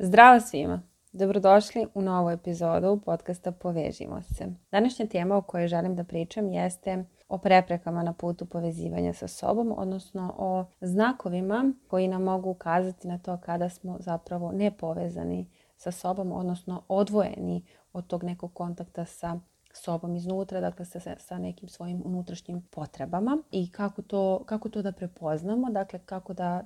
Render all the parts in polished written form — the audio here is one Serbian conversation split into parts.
Zdravo svima! Dobrodošli u novu epizodu podcasta Povežimo se. Današnja tema o kojoj želim da pričam jeste o preprekama na putu povezivanja sa sobom, odnosno o znakovima koji nam mogu ukazati na to kada smo zapravo nepovezani sa sobom, odnosno odvojeni od tog nekog kontakta sa sobom iznutra, dakle sa nekim svojim unutrašnjim potrebama i kako to da prepoznamo, dakle kako da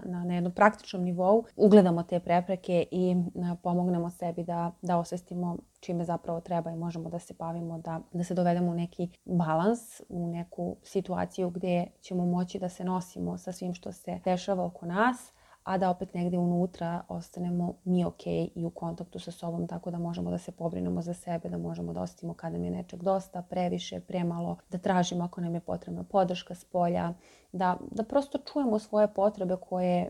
na jednom praktičnom nivou ugledamo te prepreke i pomognemo sebi da osvestimo čime zapravo treba i možemo da se bavimo, da se dovedemo u neki balans, u neku situaciju gdje ćemo moći da se nosimo sa svim što se dešava oko nas, a da opet negdje unutra ostanemo mi ok i u kontaktu sa sobom, tako da možemo da se pobrinemo za sebe, da možemo da osjetimo kada nam je nečeg dosta, previše, premalo, da tražimo ako nam je potrebna podrška s polja, da prosto čujemo svoje potrebe koje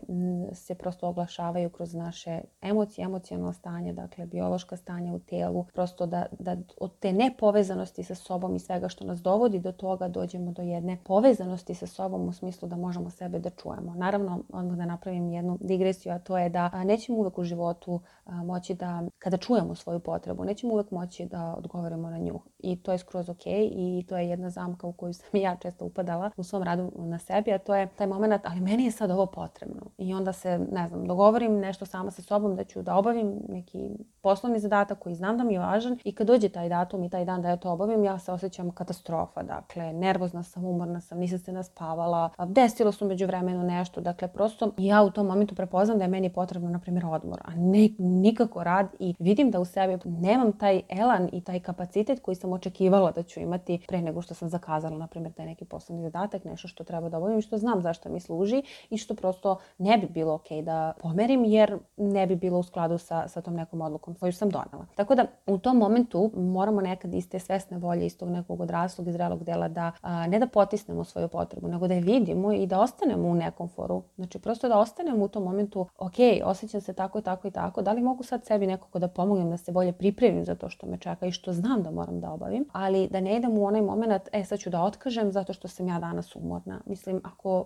se prosto oglašavaju kroz naše emocije, emocionalno stanje, dakle biološka stanja u telu, prosto da od te nepovezanosti sa sobom i svega što nas dovodi do toga dođemo do jedne povezanosti sa sobom u smislu da možemo sebe da čujemo. Naravno, odmah da napravim jednu digresiju, a to je da nećemo uvek u životu moći da, kada čujemo svoju potrebu, nećemo uvek moći da odgovorimo na nju. I to je skroz ok i to je jedna zamka u koju sam i ja često upadala u svom radu na sebi, a to je taj moment, ali meni je sad ovo potrebno. I onda se, dogovorim nešto sama sa sobom da ću da obavim neki poslovni zadatak koji znam da mi je važan i kad dođe taj datum i taj dan da ja to obavim, ja se osjećam katastrofa. Dakle, nervozna sam, umorna sam, nisam se naspavala, desilo se u međuvremenu nešto. Dakle, prosto ja u tom momentu prepoznam da je meni potrebno, na primjer, odmor, a nikako rad i vidim da u sebi nemam taj elan i taj kapacitet koji sam očekivala da ću imati pre nego što sam zakazala, na primjer, taj neki poslovni zadatak, nešto što treba da obavim, što znam zašto mi služi i što prosto ne bi bilo ok da pomerim jer ne bi bilo u skladu sa tom nekom odlukom koju sam donela. Tako da u tom momentu moramo nekad iz te svesne volje, iz tog nekog odraslog i zrelog dela da ne da potisnemo svoju potrebu, nego da je vidimo i da ostanemo u nekom foru. Znači prosto da ostanemo u tom momentu, ok, osjećam se tako i tako i tako, da li mogu sad sebi nekako da pomognem da se bolje pripremim za to što me čeka i što znam da moram da obavim, ali da ne idem u onaj moment, sad ću da otkažem zato što sam ja danas umorna. Mislim,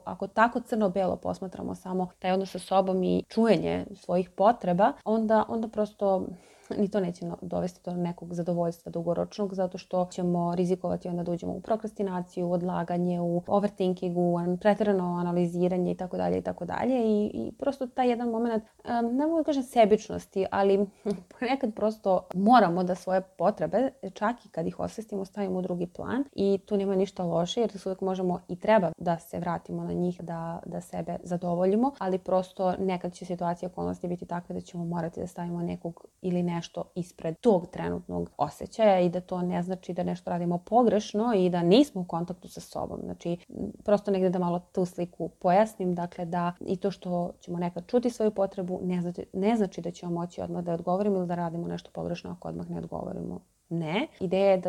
ako tako crno-belo posmatramo samo taj odnos sa sobom i čujenje svojih potreba, onda prosto ni to neće dovesti do nekog zadovoljstva dugoročnog, zato što ćemo rizikovati onda da uđemo u prokrastinaciju, odlaganje, u overthinkingu, pretjerano analiziranje itd. I prosto taj jedan moment, ne mogu da kažem sebičnosti, ali ponekad prosto moramo da svoje potrebe, čak i kad ih osvestimo, stavimo u drugi plan i tu nema ništa loše jer uvijek možemo i treba da se vratimo na njih, da sebe zadovoljimo, ali prosto nekad će situacija okolnosti biti takve da ćemo morati da stavimo nekog ili nešto ispred tog trenutnog osjećaja i da to ne znači da nešto radimo pogrešno i da nismo u kontaktu sa sobom. Znači, prosto negdje da malo tu sliku pojasnim, dakle da i to što ćemo nekad čuti svoju potrebu ne znači da ćemo moći odmah da odgovorimo ili da radimo nešto pogrešno ako odmah ne odgovorimo. Ne. Ideja je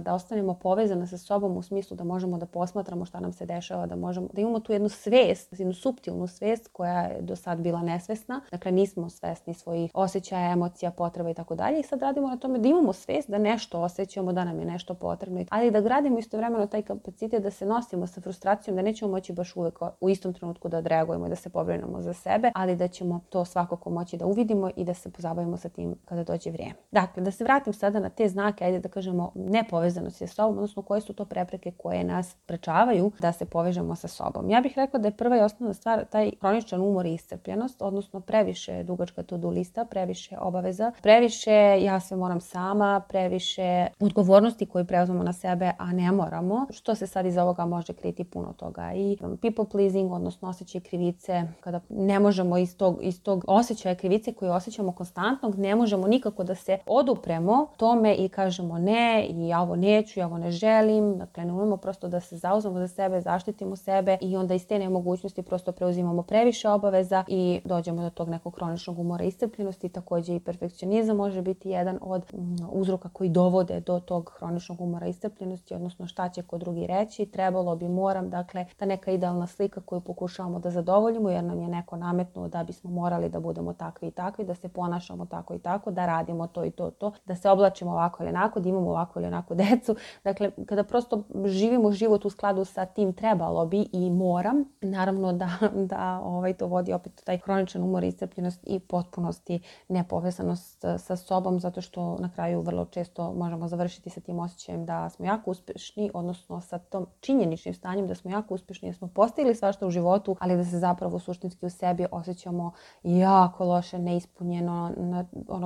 da ostanemo povezane sa sobom u smislu da možemo da posmatramo šta nam se dešava, da imamo tu jednu svijest, jednu suptilnu svijest koja je do sad bila nesvesna. Dakle, nismo svesni svojih osjećaja, emocija, potreba i tako dalje. I sad radimo na tome da imamo svijest da nešto osjećamo, da nam je nešto potrebno, ali da gradimo istovremeno taj kapacitet da se nosimo sa frustracijom, da nećemo moći baš uvijek u istom trenutku da odreagujemo i da se pobrinemo za sebe, ali da ćemo to svakako moći da uvidimo i da se pozabavimo sa tim kada dođe vrijeme. Dakle, da se vratim sada na te znake, ajde da kažemo nepovezanosti sa sobom, odnosno koje su to prepreke koje nas sprečavaju da se povežemo sa sobom. Ja bih rekla da je prva i osnovna stvar taj hroničan umor i iscrpljenost, odnosno previše dugačka to-do lista, previše obaveza, previše ja sve moram sama, previše odgovornosti koje preuzmemo na sebe, a ne moramo, što se sad iz ovoga može kriti puno toga. I people pleasing, odnosno osjećaj krivice, kada ne možemo iz tog osjećaja krivice koji osjećamo konstantnog, ne možemo nikako da se odupremo tome i kažemo ne i ja ovo neću, ja ovo ne želim. Dakle, ne umemo prosto da se zauzmemo za sebe, zaštitimo sebe i onda iz te nemogućnosti prosto preuzimamo previše obaveza i dođemo do tog nekog hroničnog umora i iscrpljenosti. Također i perfekcionizam može biti jedan od uzroka koji dovode do tog hroničnog umora i iscrpljenosti, odnosno šta će ko drugi reći, trebalo bi, moram, dakle ta neka idealna slika koju pokušavamo da zadovoljimo jer nam je neko nametnuo da bismo morali da budemo takvi i takvi, da se ponašamo tako i tako, da radimo to i to, da se oblačimo ovako ovako ili onako, da imamo ovako ili onako decu. Dakle, kada prosto živimo život u skladu sa tim trebalo bi i moram, naravno da to vodi opet taj hroničan umor, iscrpljenost i potpunosti nepovezanost sa sobom, zato što na kraju vrlo često možemo završiti sa tim osjećajem da smo jako uspješni, odnosno sa tom činjeničnim stanjem da smo jako uspješni, da smo postigli svašta u životu, ali da se zapravo suštinski u sebi osjećamo jako loše, neispunjeno,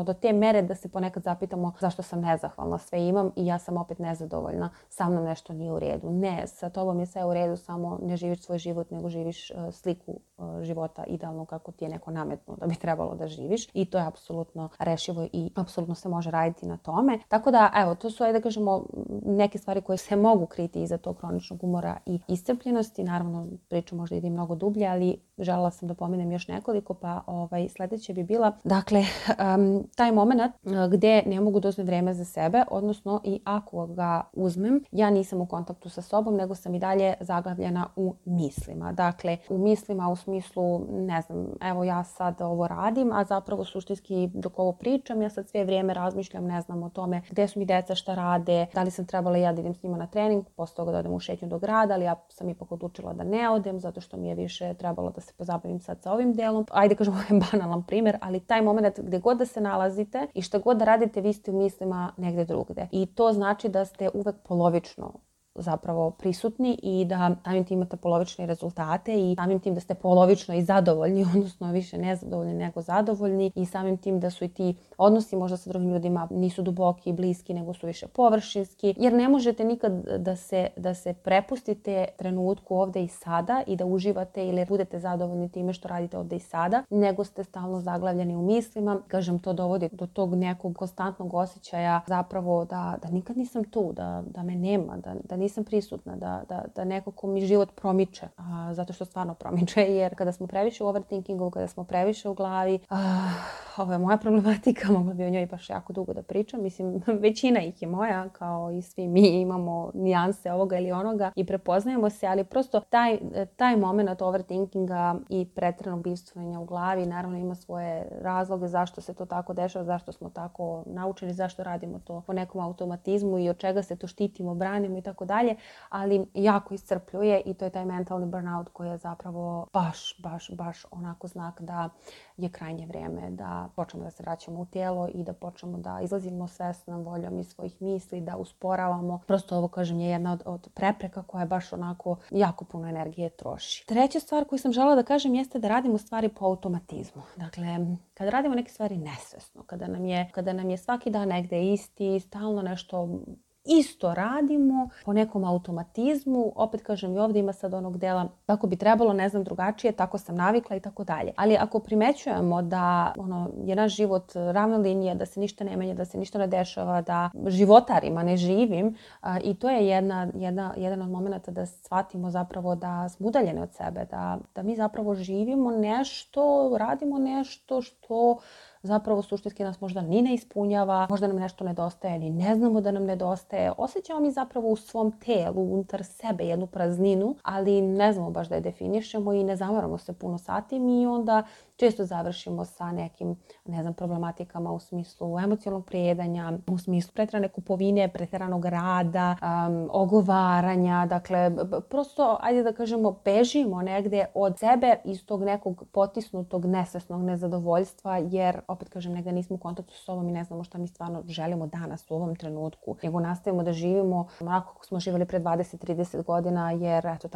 do te mere da se ponekad zapitamo zašto sam nezahvalna, sve imam i ja sam opet nezadovoljna, sa mnom nešto nije u redu. Ne, sa tobom je sve u redu, samo ne živiš svoj život, nego živiš sliku života idealno kako ti je neko nametnuo da bi trebalo da živiš, i to je apsolutno rešivo i apsolutno se može raditi na tome. Tako da, evo, to su, da kažemo, neke stvari koje se mogu kriti iza tog hroničnog umora i iscrpljenosti. Naravno, priču možda ide mnogo dublje, ali želela sam da pomenem još nekoliko, pa sljedeće bi bila, dakle, taj moment gdje ne mogu da uzmem vreme za sebe, odnosno i ako ga uzmem, ja nisam u kontaktu sa sobom, nego sam i dalje zaglavljena u mislima. Dakle, u mislima u smislu, ne znam, evo ja sad ovo radim, a zapravo suštinski dok ovo pričam, ja sad sve vrijeme razmišljam, ne znam, o tome gdje su mi deca, šta rade, da li sam trebala ja da idem s njima na trening, posle toga da odem u šetnju do grada, ali ja sam ipak odlučila da ne odem, zato što mi je više trebalo da se pozabavim sad sa ovim delom. Ajde kažemo, ovo je banalan primjer, ali taj moment gdje god da se nalazite i šta god da radite, vi ste u mislima negdje drugdje. I to znači da ste uvek polovično zapravo prisutni i da samim tim imate polovične rezultate i samim tim da ste polovično i zadovoljni, odnosno više nezadovoljni nego zadovoljni, i samim tim da su i ti odnosi možda sa drugim ljudima nisu duboki i bliski, nego su više površinski, jer ne možete nikad da se prepustite trenutku ovdje i sada i da uživate ili budete zadovoljni time što radite ovdje i sada, nego ste stalno zaglavljeni u mislima. Kažem, to dovodi do tog nekog konstantnog osjećaja zapravo da nikad nisam tu, da me nema, da nisam prisutna, da neko ko mi život promiče, zato što stvarno promiče, jer kada smo previše u overthinkingu, kada smo previše u glavi, ovo je moja problematika, mogla bi o njoj baš jako dugo da pričam, mislim, većina ih je moja, kao i svi mi imamo nijanse ovoga ili onoga i prepoznajemo se, ali prosto taj moment overthinkinga i pretjeranog bivstvovanja u glavi naravno ima svoje razloge zašto se to tako dešava, zašto smo tako naučeni, zašto radimo to po nekom automatizmu i od čega se to štitimo, branimo i tako dalje, ali jako iscrpljuje i to je taj mentalni burnout koji je zapravo baš onako znak da je krajnje vrijeme da počnemo da se vraćamo u tijelo i da počnemo da izlazimo svesnom voljom iz svojih misli, da usporavamo. Prosto ovo, kažem, je jedna od prepreka koja je baš onako jako puno energije troši. Treća stvar koju sam želela da kažem jeste da radimo stvari po automatizmu. Dakle, kada radimo neke stvari nesvesno, kada nam je svaki dan negde isti, stalno nešto isto radimo po nekom automatizmu, opet kažem, i ovdje ima sad onog dela tako bi trebalo, ne znam, drugačije, tako sam navikla i tako dalje. Ali ako primećujemo da je naš život ravna linija, da se ništa ne menja, da se ništa ne dešava, da životarima ne živim, i to je jedan od momenata da shvatimo zapravo da smo udaljeni od sebe, da mi zapravo živimo nešto, radimo nešto što zapravo suštinski nas možda ni ne ispunjava, možda nam nešto nedostaje ili ne znamo da nam nedostaje. Osjećamo mi zapravo u svom telu, unutar sebe jednu prazninu, ali ne znamo baš da je definišemo i ne zamaramo se puno sa tim i onda često završimo sa nekim, problematikama u smislu emocionalnog prijedanja, u smislu pretjerane kupovine, pretjeranog rada, ogovaranja. Dakle, prosto, ajde da kažemo, bežimo negdje od sebe iz tog nekog potisnutog, nesvesnog nezadovoljstva, jer, opet kažem, negdje nismo u kontaktu s sobom i ne znamo šta mi stvarno želimo danas u ovom trenutku, nego nastavimo da živimo onako kako smo živjeli pre 20-30 godina, jer eto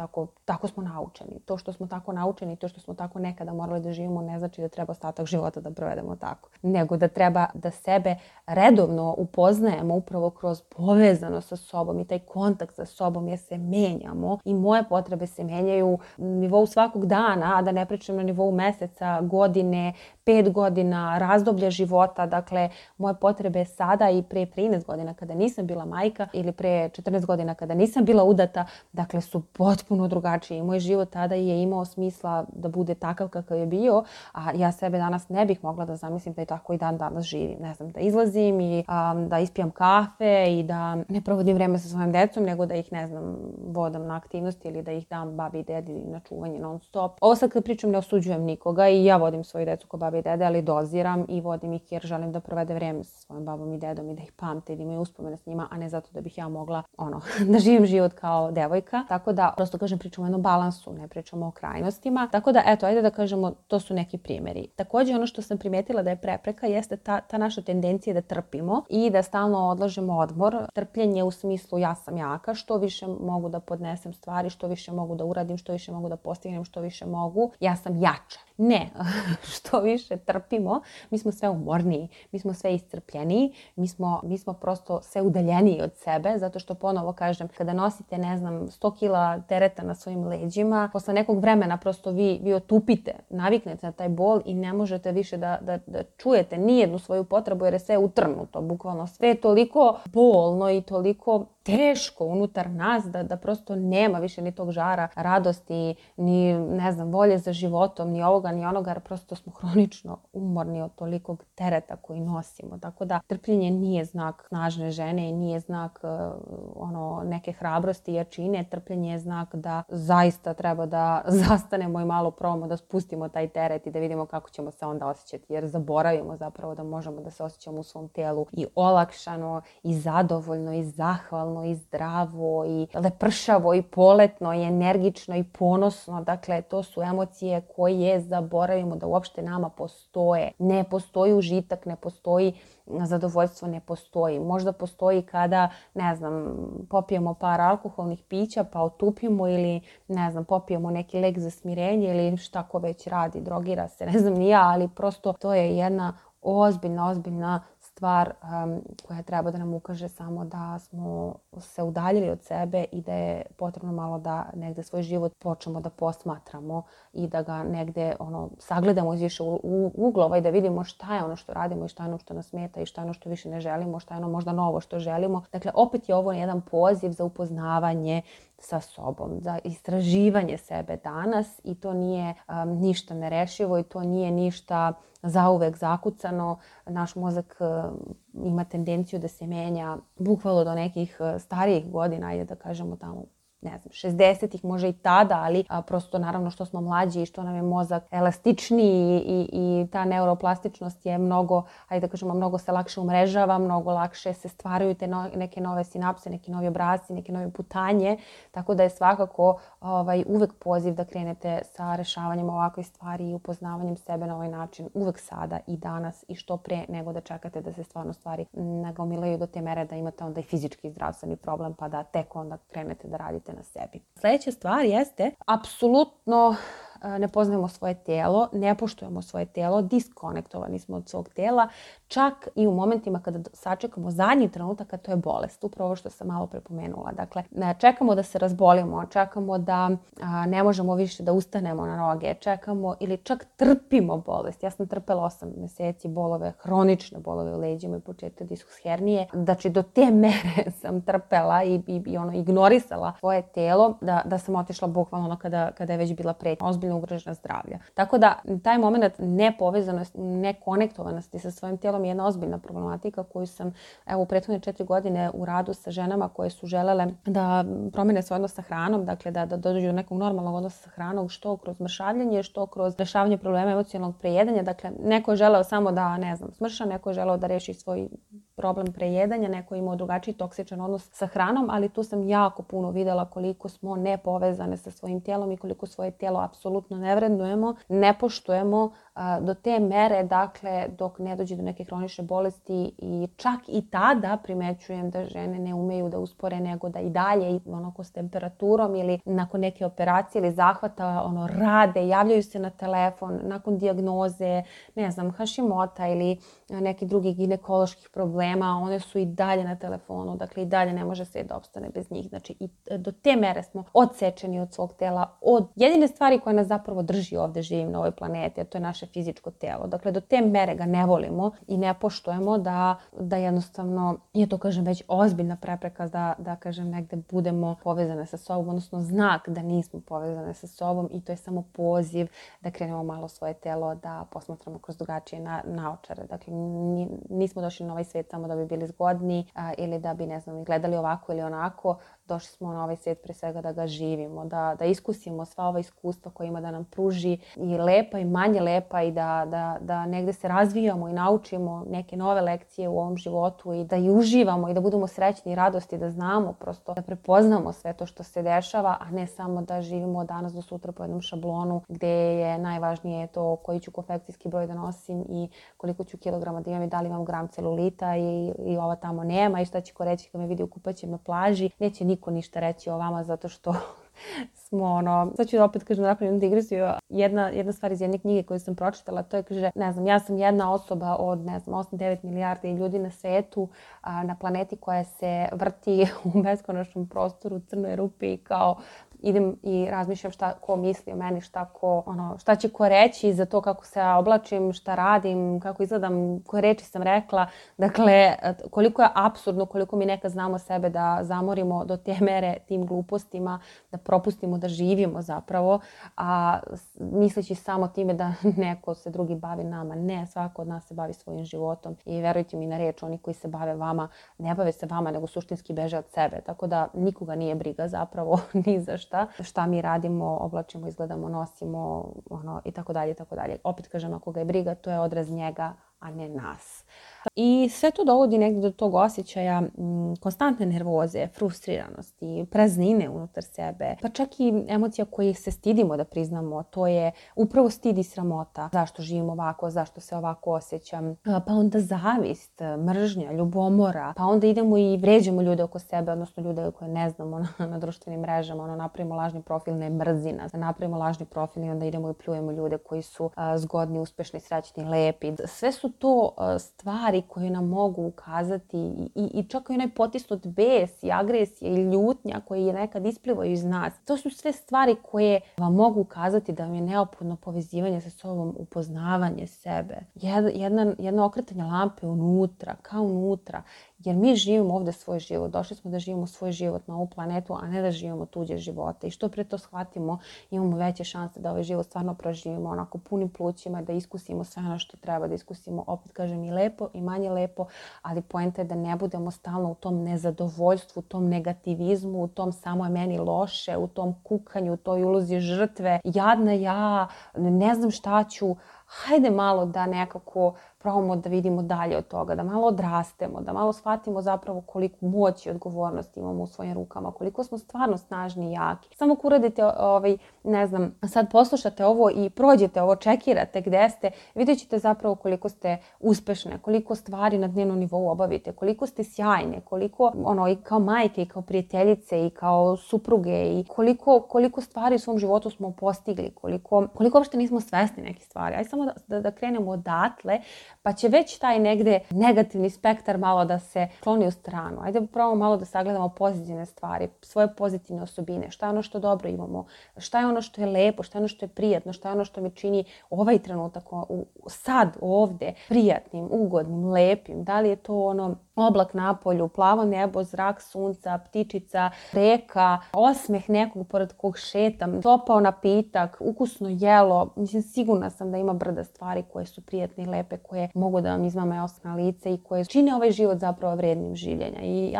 tako smo naučeni. To što smo tako naučeni, to što smo tako nekada morali da živimo, ne znači da treba ostatak života da provedemo tako, nego da treba da sebe redovno upoznajemo upravo kroz povezanost sa sobom i taj kontakt sa sobom, jer se menjamo i moje potrebe se menjaju na nivou svakog dana, a da ne pričam na nivou meseca, godine, 5 godina, razdoblja života. Dakle, moje potrebe sada i pre 13 godina kada nisam bila majka ili pre 14 godina kada nisam bila udata, dakle, su potpuno drugačiji. Moj život tada je imao smisla da bude takav kakav je bio, a ja sebe danas ne bih mogla da zamislim da i tako i dan danas živim. Ne znam, da izlazim i da ispijam kafe i da ne provodim vreme sa svojim decom, nego da ih, ne znam, vodam na aktivnosti ili da ih dam babi i dedi na čuvanje non stop. Ovo sad kad pričam ne osuđujem nikoga i ja vodim svoju decu kod babi i dede, ali doziram i vodim ih jer želim da provede vreme sa svojim babom i dedom i da ih pamte i da imaju uspomene s njima, a ne zato da bih ja mogla da živim život kao devojka. Tako da, prosto kažem, pričamo o jednom balansu, ne pričamo o krajnostima. Tako da, eto, ajde da kažemo, to su neki primjeri. Također, ono što sam primetila da je prepreka jeste ta naša tendencija da trpimo i da stalno odlažemo odmor. Trpljenje u smislu ja sam jaka, što više mogu da podnesem stvari, što više mogu da uradim, što više mogu da postignem, što više mogu, ja sam jača. Ne, što više trpimo, mi smo sve umorniji, mi smo sve iscrpljeniji, mi smo prosto sve udaljeniji od sebe, zato što ponovo kažem, kada nosite, ne znam, 100 kila tereta na svojim leđima, posle nekog vremena prosto vi otupite, naviknete na taj bol i ne možete više da čujete nijednu svoju potrebu jer je sve utrnuto, bukvalno sve je toliko bolno i toliko teško unutar nas da prosto nema više ni tog žara, radosti, ni, ne znam, volje za životom, ni ovoga, ni onoga, jer prosto smo hronično umorni od tolikog tereta koji nosimo. Tako da trpljenje nije znak snažne žene i nije znak neke hrabrosti i jačine. Trpljenje je znak da zaista treba da zastanemo i malo probamo da spustimo taj teret i da vidimo kako ćemo se onda osjećati, jer zaboravimo zapravo da možemo da se osjećamo u svom tijelu i olakšano, i zadovoljno, i zahvalno, i zdravo, i lepršavo, i poletno, i energično, i ponosno. Dakle, to su emocije koje zaboravimo da uopšte nama postoje. Ne postoji užitak, ne postoji zadovoljstvo, ne postoji. Možda postoji kada, ne znam, popijemo par alkoholnih pića pa otupimo ili, ne znam, popijemo neki lek za smirenje ili šta ko već radi, drogira se, ne znam ni ja, ali prosto to je jedna ozbiljna stvar koja treba da nam ukaže samo da smo se udaljili od sebe i da je potrebno malo da negde svoj život počnemo da posmatramo i da ga negde sagledamo iz više uglova i da vidimo šta je ono što radimo i šta je ono što nas smeta i šta je ono što više ne želimo, šta je ono možda novo što želimo. Dakle, opet je ovo jedan poziv za upoznavanje sa sobom, za istraživanje sebe danas i to nije ništa nerešivo i to nije ništa zauvek zakucano. Naš mozak ima tendenciju da se menja bukvalno do nekih starijih godina, ajde da kažemo tamo, ne znam, 60-ih može i tada, ali prosto naravno što smo mlađi i što nam je mozak elastičniji i ta neuroplastičnost je mnogo, ajde da kažemo, mnogo se lakše umrežava, mnogo lakše se stvaraju te neke nove sinapse, neki novi obrasci, neke nove putanje, tako da je svakako uvek poziv da krenete sa rešavanjem ovakvih stvari i upoznavanjem sebe na ovaj način, uvek sada i danas i što pre nego da čekate da se stvarno stvari nagomilaju do te mere da imate onda i fizički zdravstveni problem pa da tek onda krenete da radite na sebi. Sljedeća stvar jeste, apsolutno ne poznajemo svoje tijelo, ne poštujemo svoje tijelo, diskonektovani smo od svog tijela, čak i u momentima kada sačekamo zadnji trenutak, a to je bolest, upravo što sam malo prepomenula. Dakle, čekamo da se razbolimo, čekamo da ne možemo više da ustanemo na noge, čekamo ili čak trpimo bolest. Ja sam trpela 8 mjeseci bolove, hronične bolove u leđima i početak diskus hernije. Znači, do te mere sam trpela i ignorisala svoje tijelo da sam otišla bukvalno kada je već bila pretnja, ozbiljno ugrožena zdravlja. Tako da taj moment nepovezanosti, nekonektovanosti sa svojim tijelom je jedna ozbiljna problematika koju sam u prethodne 4 godine u radu sa ženama koje su želele da promene svoj odnos sa hranom, dakle da dođu do nekog normalnog odnosa sa hranom, što kroz mršavljenje, što kroz rešavanje problema emocionalnog prejedanja. Dakle, neko je želeo samo da, ne znam, smrša, neko je želeo da reši svoj problem prejedanja, neko je imao drugačiji toksičan odnos sa hranom, ali tu sam jako puno videla koliko smo nepovezane sa svojim tijelom i koliko svoje tijelo apsolutno ne vrednujemo, ne poštujemo do te mere, dakle, dok ne dođe do neke hronične bolesti i čak i tada primećujem da žene ne umeju da uspore nego da i dalje onako s temperaturom ili nakon neke operacije ili zahvata rade, javljaju se na telefon nakon dijagnoze, ne znam, Hashimota ili neki drugi ginekoloških problema problema, a one su i dalje na telefonu, dakle i dalje ne može svet da opstane bez njih. Znači i do te mere smo odsečeni od svog tela, od jedine stvari koja nas zapravo drži ovde živim na ovoj planeti, a to je naše fizičko telo. Dakle, do te mere ga ne volimo i ne poštujemo da jednostavno je to, kažem, već ozbiljna prepreka da kažem, negde budemo povezane sa sobom, odnosno znak da nismo povezane sa sobom i to je samo poziv da krenemo malo svoje telo da posmatramo kroz drugačije naočare. Dakle, nismo došli na ovaj svet samo da bi bili zgodni ili da bi, ne znam, gledali ovako ili onako. Došli smo na ovaj svijet pre svega da ga živimo, da iskusimo sva ova iskustva koja ima da nam pruži i lepa i manje lepa i da negde se razvijamo i naučimo neke nove lekcije u ovom životu i da i uživamo i da budemo srećni i radosti, da znamo prosto, da prepoznamo sve to što se dešava, a ne samo da živimo od danas do sutra po jednom šablonu gde je najvažnije to koji ću konfekcijski broj da nosim i koliko ću kilograma da imam i da li imam gram celulita i ova tamo nema i šta će ko reći kad me vidi u kupaćem na plaži. Neće niko ništa reći o vama zato što smo sad ću opet kažem napravim jednu digresiju. Jedna stvar iz jedne knjige koju sam pročitala, to je, kaže, ne znam, ja sam jedna osoba od, ne znam, 8-9 milijardi ljudi na svetu, na planeti koja se vrti u beskonačnom prostoru, crnoj rupi i kao idem i razmišljam šta ko misli o meni, šta će ko reći za to kako se oblačim, šta radim, kako izgledam, koje reči sam rekla. Dakle, koliko je apsurdno, koliko mi nekad znamo sebe da zamorimo do te mere tim glupostima, da propustimo da živimo zapravo, a misleći samo time da neko se drugi bavi nama. Ne, svako od nas se bavi svojim životom i verujte mi na reč, oni koji se bave vama, ne bave se vama, nego suštinski beže od sebe. Tako da nikoga nije briga zapravo ni za šta mi radimo, oblačimo, izgledamo, nosimo i tako dalje, tako dalje. Opet kažem, ako ga je briga, to je odraz njega, a ne nas. I sve to dovodi negdje do tog osjećaja konstantne nervoze, frustriranosti, praznine unutar sebe, pa čak i emocija koje se stidimo da priznamo, to je upravo stid i sramota. Zašto živim ovako, zašto se ovako osjećam, pa onda zavist, mržnja, ljubomora, pa onda idemo i vređamo ljude oko sebe, odnosno ljude koje ne znamo na društvenim mrežama, napravimo lažni profil, ne mrzi nas, napravimo lažni profil i onda idemo i pljujemo ljude koji su zgodni, uspešni, srećni, lepi. Sve su to stvari koje nam mogu ukazati i čak i onaj potisnut bes i agresija i ljutnja koji je nekad isplivaju iz nas. To su sve stvari koje vam mogu ukazati da vam je neophodno povezivanje sa sobom, upoznavanje sebe. Jedno okretanje lampe unutra, kao unutra. Jer mi živimo ovdje svoj život. Došli smo da živimo svoj život na ovu planetu, a ne da živimo tuđe živote. I što pre to shvatimo, imamo veće šanse da ovaj život stvarno proživimo onako punim plućima, da iskusimo sve ono što treba da iskusimo. Opet kažem, i lepo i manje lepo, ali poenta je da ne budemo stalno u tom nezadovoljstvu, u tom negativizmu, u tom samo je meni loše, u tom kukanju, u toj ulozi žrtve. Jadna ja, ne znam šta ću. Hajde malo da nekako probamo da vidimo dalje od toga, da malo odrastemo, da malo shvatimo zapravo koliko moć i odgovornost imamo u svojim rukama, koliko smo stvarno snažni i jaki. Samo ako uradite, ne znam, sad poslušate ovo i prođete ovo, čekirate gde ste, vidjet ćete zapravo koliko ste uspešne, koliko stvari na dnevnom nivou obavite, koliko ste sjajne, koliko i kao majke i kao prijateljice i kao supruge i koliko stvari u svom životu smo postigli, koliko uopšte nismo svesni nekih stvari. Ajde samo da krenemo odatle, pa će već taj negde negativni spektar malo da se kloni u stranu. Ajde probamo malo da sagledamo pozitivne stvari, svoje pozitivne osobine, šta je ono što dobro imamo, šta je ono što je lepo, šta je ono što je prijatno, šta je ono što mi čini ovaj trenutak sad ovde prijatnim, ugodnim, lepim. Da li je to oblak na polju, plavo nebo, zrak sunca, ptičica, reka, osmeh nekog pored kog šetam, topao napitak, ukusno jelo. Mislim, sigurna sam da ima brda stvari koje su prijatne i lepe, koje mogu da vam izmame osmeh na lice i koje čine ovaj život zapravo vrednim življenja. I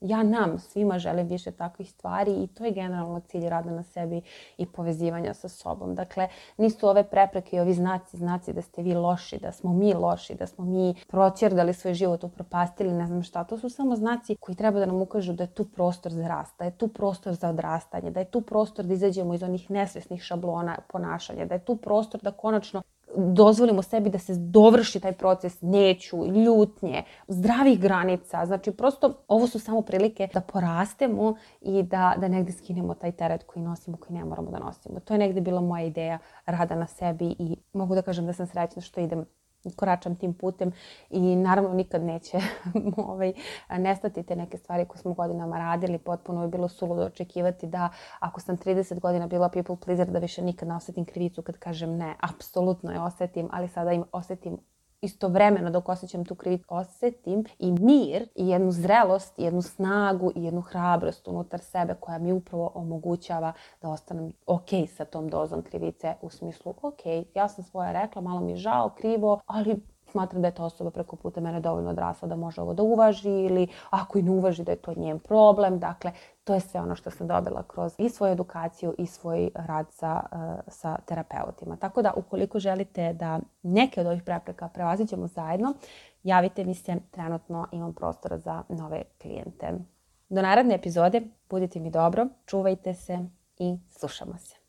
ja nam svima želim više takvih stvari i to je generalno cilj rada na sebi i povezivanja sa sobom. Dakle, nisu ove prepreke i ovi znaci da ste vi loši, da smo mi loši, da smo mi proćerdali svoj život, upropastili, ne znam šta. To su samo znaci koji treba da nam ukažu da je tu prostor za rast, da je tu prostor za odrastanje, da je tu prostor da izađemo iz onih nesvesnih šablona ponašanja, da je tu prostor da konačno dozvolimo sebi da se dovrši taj proces neću, ljutnje, zdravih granica. Znači, prosto ovo su samo prilike da porastemo i da negdje skinemo taj teret koji nosimo, koji ne moramo da nosimo. To je negdje bila moja ideja rada na sebi i mogu da kažem da sam srećna što idem koračam tim putem i naravno nikad neće nestati te neke stvari koje smo godinama radili. Potpuno je bilo suludo očekivati da ako sam 30 godina bila people pleaser da više nikad ne osetim krivicu kad kažem ne. Apsolutno je osetim, ali sada im osetim istovremeno dok osjećam tu krivicu, osetim i mir i jednu zrelost, i jednu snagu i jednu hrabrost unutar sebe koja mi upravo omogućava da ostanem ok sa tom dozom krivice u smislu ok, ja sam svoje rekla, malo mi je žao, krivo, ali smatram da je ta osoba preko puta mene dovoljno odrasla da može ovo da uvaži ili ako i ne uvaži da je to njen problem. Dakle, to je sve ono što sam dobila kroz i svoju edukaciju i svoj rad sa terapeutima. Tako da ukoliko želite da neke od ovih prepreka prevaziđemo zajedno, javite mi se, trenutno imam prostora za nove klijente. Do naredne epizode, budite mi dobro, čuvajte se i slušamo se.